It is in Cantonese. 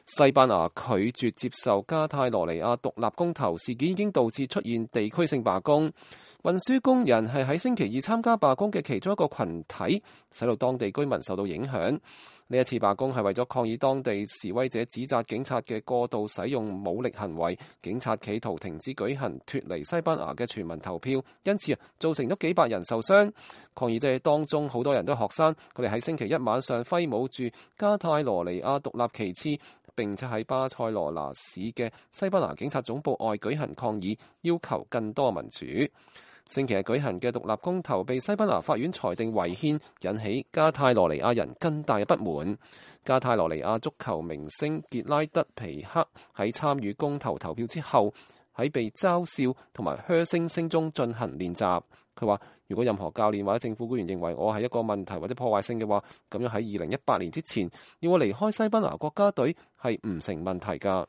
西班牙拒絕接受加泰羅尼亞獨立公投事件已經導致出現地區性罷工。運輸工人係喺星期二參加罷工嘅其中一個群體，使到當地居民受到影響。呢一次罷工係為咗抗議當地示威者指責警察嘅過度使用武力行為，警察企圖停止舉行脫離西班牙嘅全民投票，因此造成咗幾百人受傷。抗議者當中好多人都係學生，佢哋喺星期一晚上揮舞住加泰羅尼亞獨立旗幟，並且喺巴塞羅那市嘅西班牙警察總部外舉行抗議，要求更多民主。星期日舉行嘅獨立公投被西班牙法院裁定違憲，引起加泰羅尼亞人更大嘅不滿。加泰羅尼亞足球明星傑拉德皮克喺參與公投投票之後，喺被嘲笑同埋噓聲聲中進行練習。佢話：如果任何教練或者政府官員認為我係一個問題或者破壞性嘅話，咁樣喺2018年之前要我離開西班牙國家隊係唔成問題㗎。